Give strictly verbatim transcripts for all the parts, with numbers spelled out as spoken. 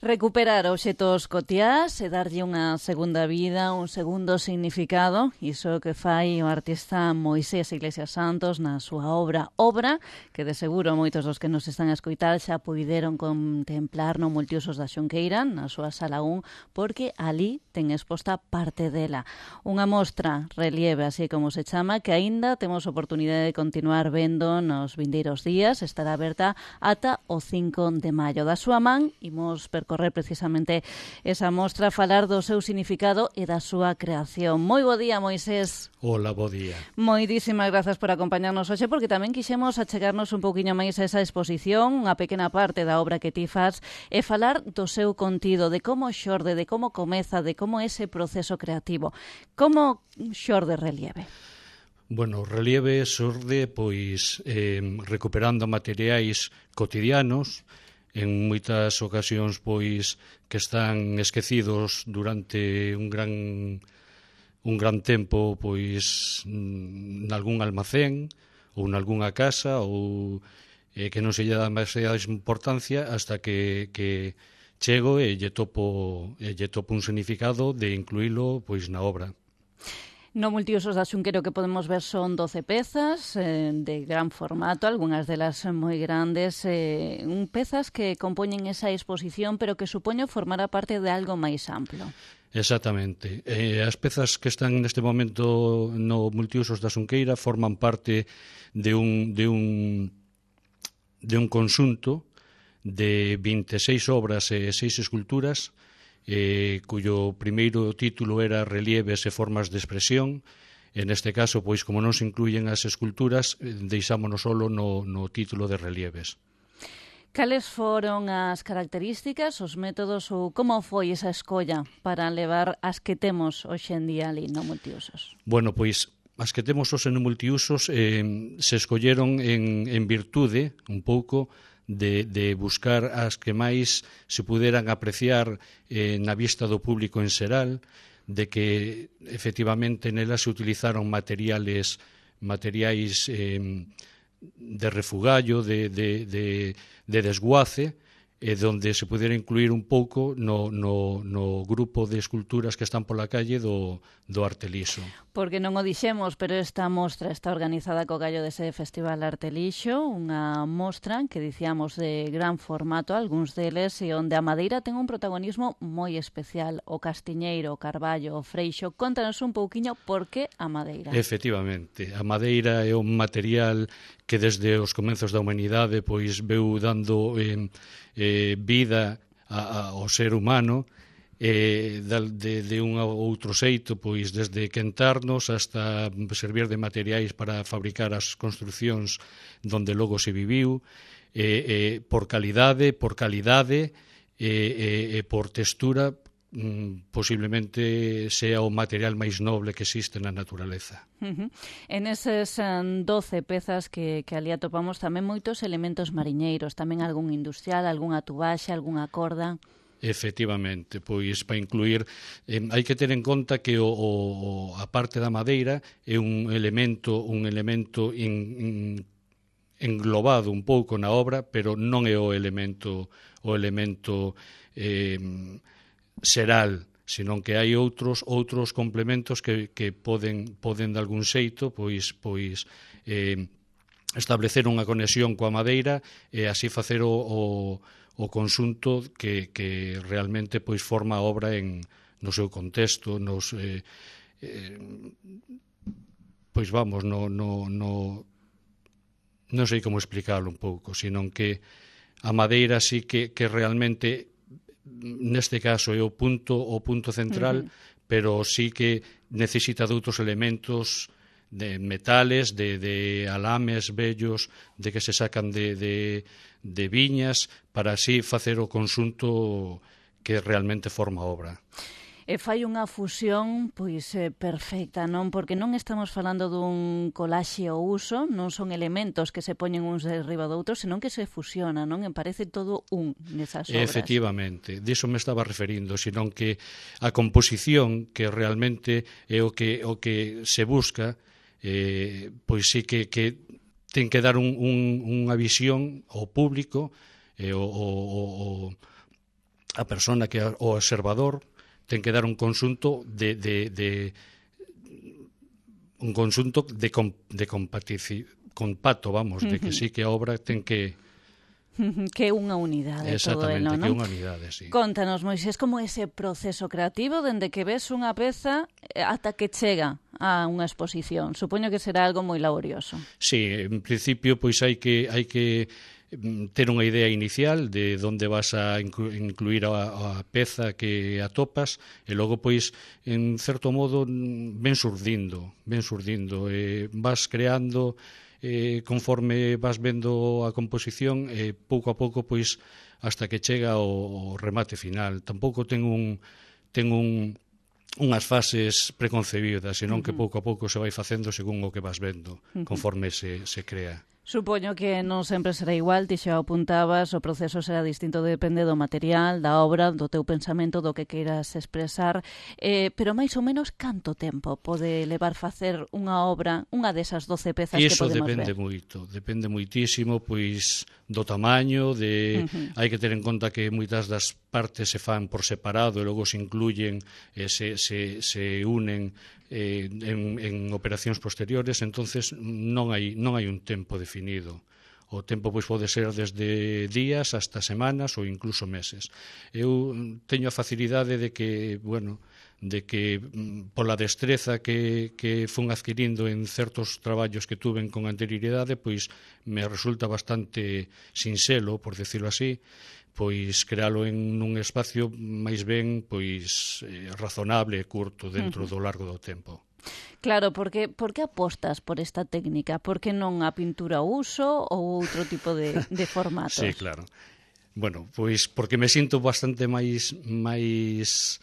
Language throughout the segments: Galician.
Recuperar obxetos cotiás e darlle unha segunda vida, un segundo significado, iso que fai o artista Moisés Iglesias Santos na súa obra Obra, que de seguro moitos dos que nos están a escoitar xa puideron contemplar no Multiusos da Xunqueira, na súa sala un, porque ali ten exposta parte dela. Unha mostra relieve, así como se chama, que aínda temos oportunidade de continuar vendo nos vindeiros días, estará aberta ata o cinco de maio. Da súa man, imos percorrer precisamente esa mostra, falar do seu significado e da súa creación. Moi bo día, Moisés. Hola, bo día. Moitísimas grazas por acompañarnos hoxe, porque tamén quixemos achegarnos un pouquiño máis a esa exposición, unha pequena parte da obra que ti faz, e falar do seu contido, de como xorde, de como comeza, de como ese proceso creativo. Como xorde Relieve? Bueno, Relieve xorde pois eh, recuperando materiais cotidianos, en moitas ocasións pois que están esquecidos durante un gran un gran tempo pois nalgún almacén ou nalgunha casa ou eh, que non se lle dá demasiada importancia hasta que, que chego e lle topo e lle topo un significado de incluílo pois na obra. No Multiusos da Xunqueira que podemos ver son doce pezas eh, de gran formato, algunhas delas moi grandes, eh, un pezas que compoñen esa exposición, pero que supoño formará parte de algo máis amplo. Exactamente. Eh, as pezas que están neste momento no Multiusos da Xunqueira forman parte de un, de un, de un conxunto de vinte e seis obras e seis esculturas, Eh, cuyo primeiro título era Relieves e formas de expresión. En este caso, pois, como non se incluyen as esculturas, deixámonos solo no, no título de Relieves. Cales foron as características, os métodos ou como foi esa escolla para levar as que temos hoxe en día ali no Multiusos? Bueno, pois as que temos hoxe no Multiusos eh, se escolleron en, en virtude un pouco De, de buscar as que máis se puderan apreciar eh, na vista do público en xeral, de que efectivamente nelas se utilizaron materiales materiais eh, de refugallo, de, de, de, de desguace, e donde se pudera incluir un pouco no, no, no grupo de esculturas que están pola calle do, do Arte Lixo. Porque non o dixemos, pero esta mostra está organizada co gallo dese Festival Arte Lixo, unha mostra que dicíamos de gran formato, algúns deles, e onde a madeira ten un protagonismo moi especial, o castiñeiro, o carballo, o freixo. Contanos un pouquiño por que a madeira. Efectivamente, a madeira é un material que desde os comenzos da humanidade pois veu dando eh, eh, vida a, a, ao ser humano eh, de, de un outro xeito, pois desde quentarnos hasta servir de materiais para fabricar as construcións donde logo se viviu, eh, eh, por calidade, por calidade e eh, eh, por textura, posiblemente sea o material máis noble que existe na naturaleza. Uh-huh. En eses um, doce pezas que, que ali atopamos tamén moitos elementos mariñeiros, tamén algún industrial, algunha tubaxe, algunha corda. Efectivamente, pois para incluir eh, hai que ter en conta que o, o, a parte da madeira é un elemento un elemento in, in, englobado un pouco na obra, pero non é o elemento o elemento eh, xeral, senón que hai outros outros complementos que, que poden poden de algún xeito pois pois eh, establecer unha conexión coa madeira e así facer o, o, o conxunto que, que realmente pois forma a obra en no seu contexto, nos eh, eh, pois vamos, no, no, no non sei como explicarlo un pouco, senón que a madeira sí que, que realmente neste caso é o punto o punto central, uh-huh. pero sí que necesita de outros elementos de metales, de, de alames vellos, de que se sacan de, de, de viñas, para así facer o conxunto que realmente forma a obra. E fai unha fusión pois eh, perfecta, non? Porque non estamos falando dun colaxe ao uso, non son elementos que se poñen uns de riba do outro, senón que se fusiona, non? E parece todo un nesas obras. Efectivamente, diso me estaba referindo, senón que a composición, que realmente é o que o que se busca, eh, pois sí que, que ten que dar un, un, unha visión ao público, e o, o, o a persona que é o observador ten que dar un conxunto de, de, de un conxunto de, com, de compatici, compacto, vamos, de que sí que a obra ten que que é unha unidade todo exactamente, elo, non? que é unha unidade, sí. Contanos, Moisés, como é ese proceso creativo dende que ves unha peza ata que chega a unha exposición. Supoño que será algo moi laborioso. Sí, en principio pois hai que hai que ter unha idea inicial de onde vas a inclu incluir a, a peza que atopas e logo, pois, en certo modo, ven surdindo, ven surdindo, e vas creando eh, conforme vas vendo a composición e eh, pouco a pouco, pois, hasta que chega o, o remate final. Tampouco ten un ten un unhas fases preconcebidas, senón que pouco a pouco se vai facendo según o que vas vendo, conforme se, se crea. Supoño que non sempre será igual, ti xa apuntabas, o proceso será distinto, depende do material, da obra, do teu pensamento, do que queiras expresar, eh, pero máis ou menos canto tempo pode levar facer unha obra, unha desas doce pezas que podemos ver? Iso depende moito, depende moitísimo, pois, do tamaño, de uh-huh. hai que ter en conta que moitas das partes se fan por separado e logo se incluyen, e se, se, se unen eh, en, en operacións posteriores, entonces non hai, non hai un tempo definido. O tempo pois pode ser desde días hasta semanas ou incluso meses. Eu teño a facilidade de que, bueno, de que pola destreza que, que fun adquirindo en certos traballos que tuven con anterioridade, pois me resulta bastante sinxelo, por decirlo así, pois crealo en un espacio máis ben pois eh, razonable e curto dentro do largo do tempo. Claro, porque por que apostas por esta técnica? Por que non a pintura uso ou outro tipo de, de formatos? Sí, claro. Bueno, pois porque me sinto bastante máis máis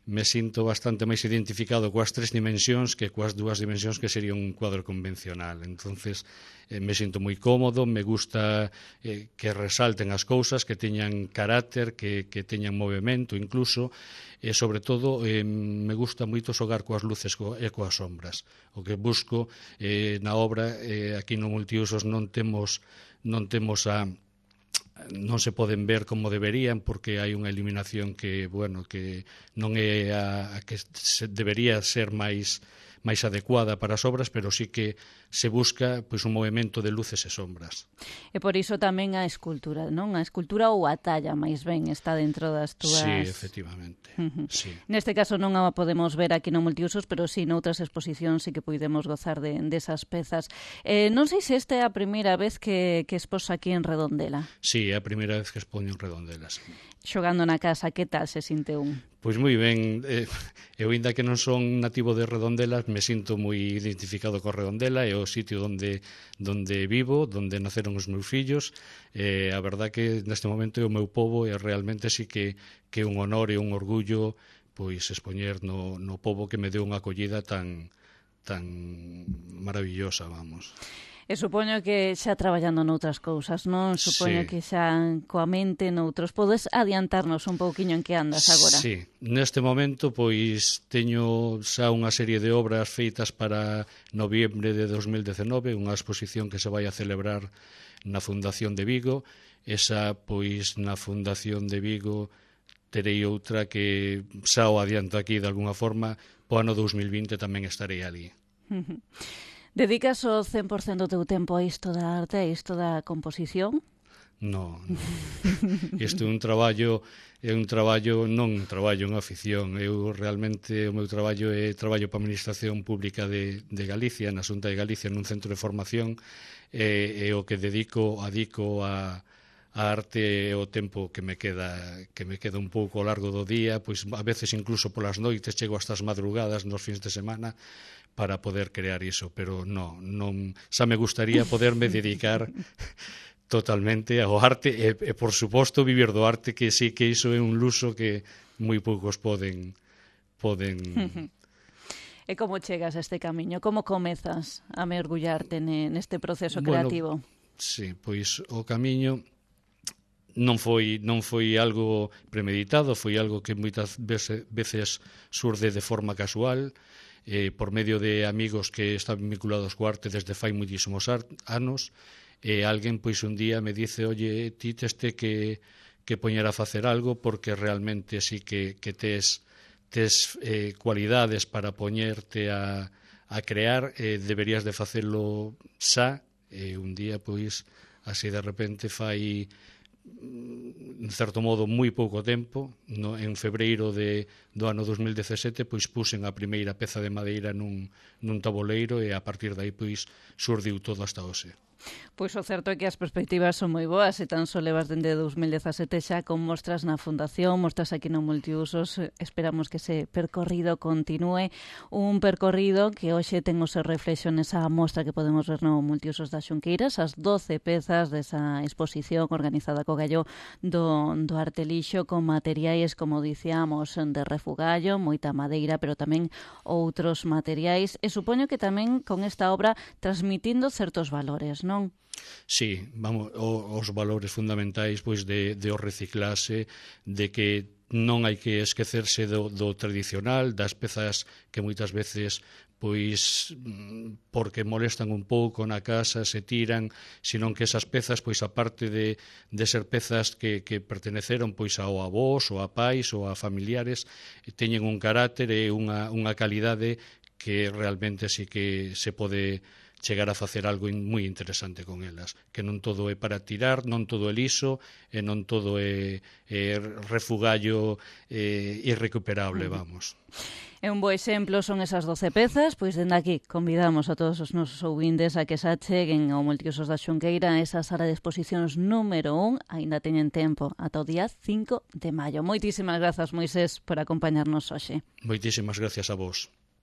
me sinto bastante máis identificado coas tres dimensións que coas dúas dimensións que sería un cuadro convencional. Entonces, eh, me sinto moi cómodo, me gusta eh, que resalten as cousas, que teñan carácter, que, que teñan movimento incluso, e sobre todo eh, me gusta moito xogar coas luces e coas sombras. O que busco eh, na obra, eh, aquí no Multiusos non temos non temos a non se poden ver como deberían porque hai unha eliminación que, bueno, que non é a, a que se debería ser máis máis adecuada para as obras, pero sí que se busca pois un movimento de luces e sombras. E por iso tamén a escultura, non? A escultura ou a talla, máis ben, está dentro das túas... Sí, efectivamente. Uh-huh. Sí. Neste caso non a podemos ver aquí no Multiusos, pero sí, noutras exposicións sí que podemos gozar de, desas pezas. Eh, non sei se esta é a primeira vez que, que expós aquí en Redondela. Sí, é a primeira vez que expoño en Redondela, sí. Xogando na casa, que tal se sinte un? Pois moi ben, eh, eu ainda que non son nativo de Redondela, me sinto moi identificado con Redondela, é o sitio onde, onde vivo, onde naceron os meus fillos, e eh, a verdad que neste momento é o meu pobo e realmente sí que, que é un honor e un orgullo pois expoñer no, no pobo que me deu unha acollida tan, tan maravillosa, vamos. E supoño que xa traballando noutras cousas, non? Supoño sí. que xa coa mente noutros. Podes adiantarnos un pouquiño en que andas agora? Sí, neste momento pois teño xa unha serie de obras feitas para noviembre de dos mil dezenove, unha exposición que se vai a celebrar na Fundación de Vigo. Esa, pois, na Fundación de Vigo terei outra que xa o adianto aquí de alguna forma, po ano dos mil vinte tamén estarei ali. Dedicas o cen por cento do teu tempo a isto da arte, a isto da composición? No, no. Isto é un traballo, é un traballo, non un traballo, unha afición. Eu realmente, o meu traballo é traballo para a Administración Pública de, de Galicia, na Xunta de Galicia, nun centro de formación, e, e o que dedico, adico a, a arte é o tempo que me queda, que me queda un pouco ao largo do día, pois a veces incluso polas noites chego hasta as madrugadas nos fins de semana, para poder crear iso, pero no, non, xa me gustaría poderme dedicar totalmente ao arte e, e por suposto, vivir do arte, que sí que iso é un luxo que moi poucos poden poden E como chegas a este camiño? Como comezas a mergullarte neste proceso creativo? Bueno, sí, pois o camiño non foi non foi algo premeditado, foi algo que moitas veces, veces surde de forma casual, eh, por medio de amigos que están vinculados co arte desde fai moitísimos anos, e alguén pois un día me dice, oye, ti teste que, que poñer a facer algo, porque realmente sí que, que tes, tes eh, cualidades para poñerte a, a crear, eh, deberías de facelo xa, e un día, pois, así de repente fai, en certo modo, moi pouco tempo, no, en febreiro de, do ano dos mil dezasete, pois puxen a primeira peza de madeira nun, nun tabuleiro, e a partir de aí, pois, surdiu todo hasta hoxe. Pois o certo é que as perspectivas son moi boas, e tan só levas dende dos mil dezasete xa con mostras na Fundación, mostras aquí no Multiusos. Esperamos que ese percorrido continúe, un percorrido que hoxe ten o seu reflexo nesa mostra que podemos ver no Multiusos das Xunqueiras, as doce pezas desa exposición organizada co Gallo do, do Artelixo, con materiais, como dicíamos, de refugallo, moita madeira, pero tamén outros materiais, e supoño que tamén con esta obra transmitindo certos valores, non? Sí, vamos, o, os valores fundamentais, pois, de, de o reciclase, de que non hai que esquecerse do, do tradicional, das pezas que moitas veces, pois, porque molestan un pouco na casa, se tiran, senón que esas pezas, pois, aparte de, de ser pezas que, que perteneceron, pois, ao avós, ou a pais, ou a familiares, teñen un carácter e unha, unha calidade que realmente sí que se pode chegar a facer algo moi interesante con elas, que non todo é para tirar, non todo é liso, e non todo é, é refugallo é, irrecuperable, vamos. E un bo exemplo son esas doce pezas, pois dende aquí convidamos a todos os nosos ouvintes a que se acheguen ao Multiusos da Xunqueira, esa sala de exposicións número un, aínda teñen tempo, ata o día cinco de maio. Moitísimas grazas, Moisés, por acompañarnos hoxe. Moitísimas gracias a vos.